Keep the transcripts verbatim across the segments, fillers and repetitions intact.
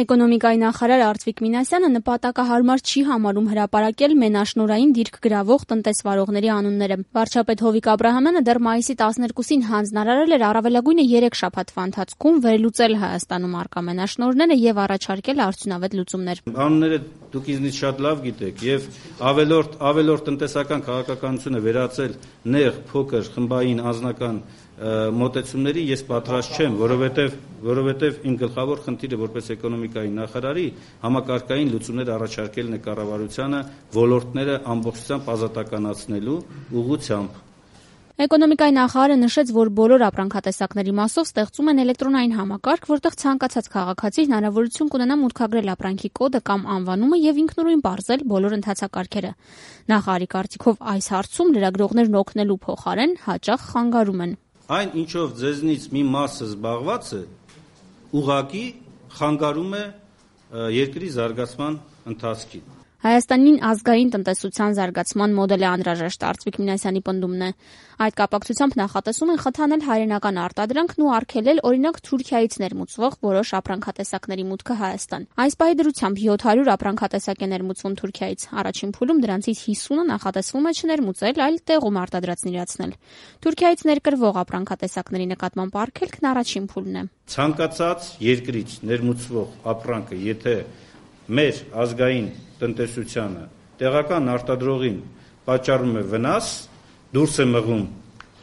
Էկոնոմիկայի նախարար Արծվիկ Մինասյանը նպատակահարմար չի համարում հրապարակել մենաշնորհային դիրք գրավող տնտեսվարողների անունները։ Վարչապետ Հովիկ Աբրահամյանը դեռ մայիսի տասներկուսին հանձնարարել էր առավելագույնը երեք շաբաթվա ընթացքում վերլուծել Հայաստանում առկա մենաշնորհները եւ առաջարկել արդյունավետ լուծումներ։ Անունները դուք ինձնից շատ լավ գիտեք եւ ավելորդ ավելորդ տնտեսական քաղաքականությունը վերածել նեղ, փոքր, խմբային, անձնական մոտեցումների ես պատրաստ չեմ, որովհետև որովհետև իմ գլխավոր խնդիրը որպես էկոնոմիկայի նախարարի համակարգային լուծումներ առաջարկելն է կառավարությանը ոլորտները ամբողջությամբ ազատականացնելու ուղղությամբ։ Էկոնոմիկայի նախարարը նշեց, որ բոլոր ապրանքատեսակների մասով ստեղծում են էլեկտրոնային համակարգ, որտեղ ցանկացած քաղաքացի հնարավորություն կունենա մուտքագրել ապրանքի կոդը կամ անվանումը եւ ինքնուրույն բարձել բոլոր ընթացակարգերը։ Նախարարի կարծիքով այս հարցում լրագրողներն օգնելու փոխարեն հաճախ խանգարում են։ Այն ինչով ձեզնից մի մասը զբաղված է, ուղղակի խանգարում է երկրի զարգացման ընթացքին։ Հայաստանին ազգային տնտեսության զարգացման մոդել է անհրաժեշտ, Արծվիկ Մինասյանի պնդումն է։ Այդ կապակցությամբ նախատեսում են խթանել հայրենական արտադրանքն ու արգելել օրինակ Թուրքիայից ներմուծվող որոշ ապրանքատեսակների մուտքը Հայաստան։ Այս պահի դրությամբ յոթ հարյուր ապրանքատեսակ է ներմուծվում Թուրքիայից։ Առաջին փուլում դրանցից հիսունը նախատեսվում է չներմուծել, այլ տեղում արտադրածն իրացնել։ Թուրքիայից ներկրվող ապրանքատեսակների նկատմամբ արգելքն առաջին փուլն է։ Ցանկացած երկրից ներմուծվող ապրանքը, եթե մեր ազգային տնտեսությանը տեղական արտադրողին պատճառում է վնաս, դուրս է մղում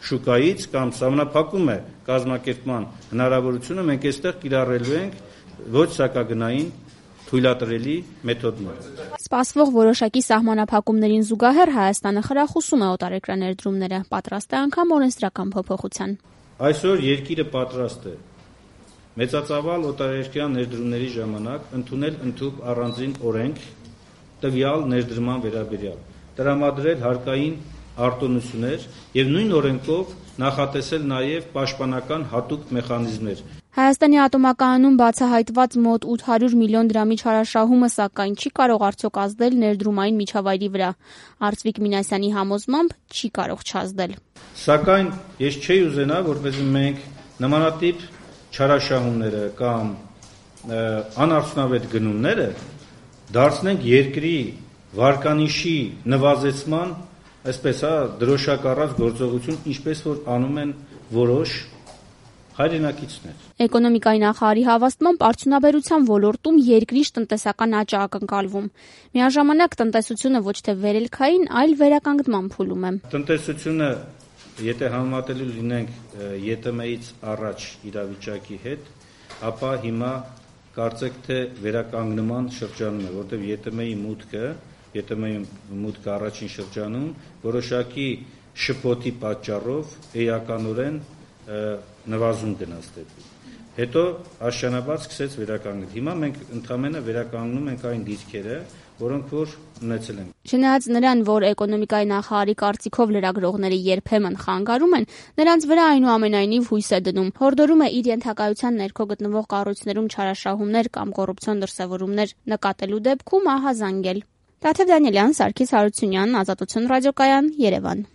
շուկայից կամ սահմանափակում է կազմակերպման հնարավորությունը, մենք այստեղ կիրառելու ենք ոչ սակագնային թույլատրելի մեթոդներ։ Սպասվող որոշակի սահմանափակումներին զուգահեռ Հայաստանը խրախուսում է օտարերկրյա ներդրումները, պատրաստ է անգամ օրենսդրական փոփոխության։ Այսօր երկիրը պատրաստ է մեծածավալ օտարերկրյա ներդրումների ժամանակ ընդունել ընդհանուր առանձին օրենք տվյալ ներդրման վերաբերյալ, տրամադրել հարկային արտոնություններ եւ նույն օրենքով նախատեսել նաեւ պաշտպանական հատուկ մեխանիզմներ։ Հայաստանի ատոմակայանում բացահայտված մոտ ութ հարյուր միլիոն դրամի չարաշահումը սակայն չի կարող արդյոք ազդել ներդրումային միջավայրի վրա։ Արծվիկ Մինասյանի համոզմամբ չի կարող չազդել։ Սակայն ես չէի ուզենա, որպեսզի մենք նմանատիպ չարաշահումները կամ անարդյունավետ գնումները դարձնենք երկրի վարկանիշի նվազեցման, այսպես հա, դրոշակառած գործողություն, ինչպես որ անում են որոշ հայրենակիցներ։ Էկոնոմիկայի նախարարի հավաստմամբ արդյունաբերության ոլորտում երկրի տնտեսական աճը ակնկալվում։ Միաժամանակ տնտեսությունը ոչ թե վերելքային, այլ վերականգնման փուլում է։ Տնտեսությունը, եթե համեմատելու լինենք ԵՏՄ-ից առաջ իրավիճակի հետ, ապա հիմա կարծեք թե վերականգնման շրջանում է, որտեղ ԵՏՄ-ի մուտքը, ԵՏՄ-ի մուտքը առաջին շրջանում որոշակի շփոթի պատճառով էականորեն նվազում գնաց դեպի։ Հետո աշճանաբար սկսեց վերականգնել։ Հիմա մենք ընդհանրապես վերականգնում ենք այն դիրքերը, որոնք որ ունեցել ենք։ Չնայած նրան, որ էկոնոմիկայի նախարարի կարծիքով լրագրողները երբեմն խանգարում են, նրանց վրա այնուամենայնիվ հույս է դնում։ Հորդորում է իր ենթակայության ներքո գտնվող կառույցներում չարաշահումներ կամ կոռուպցիոն դրսևորումներ նկատելու դեպքում ահազանգել։ Տաթև Դանիելյան, Սարգիս Հարությունյան, Ազատություն ռադիոկայան, Երևան։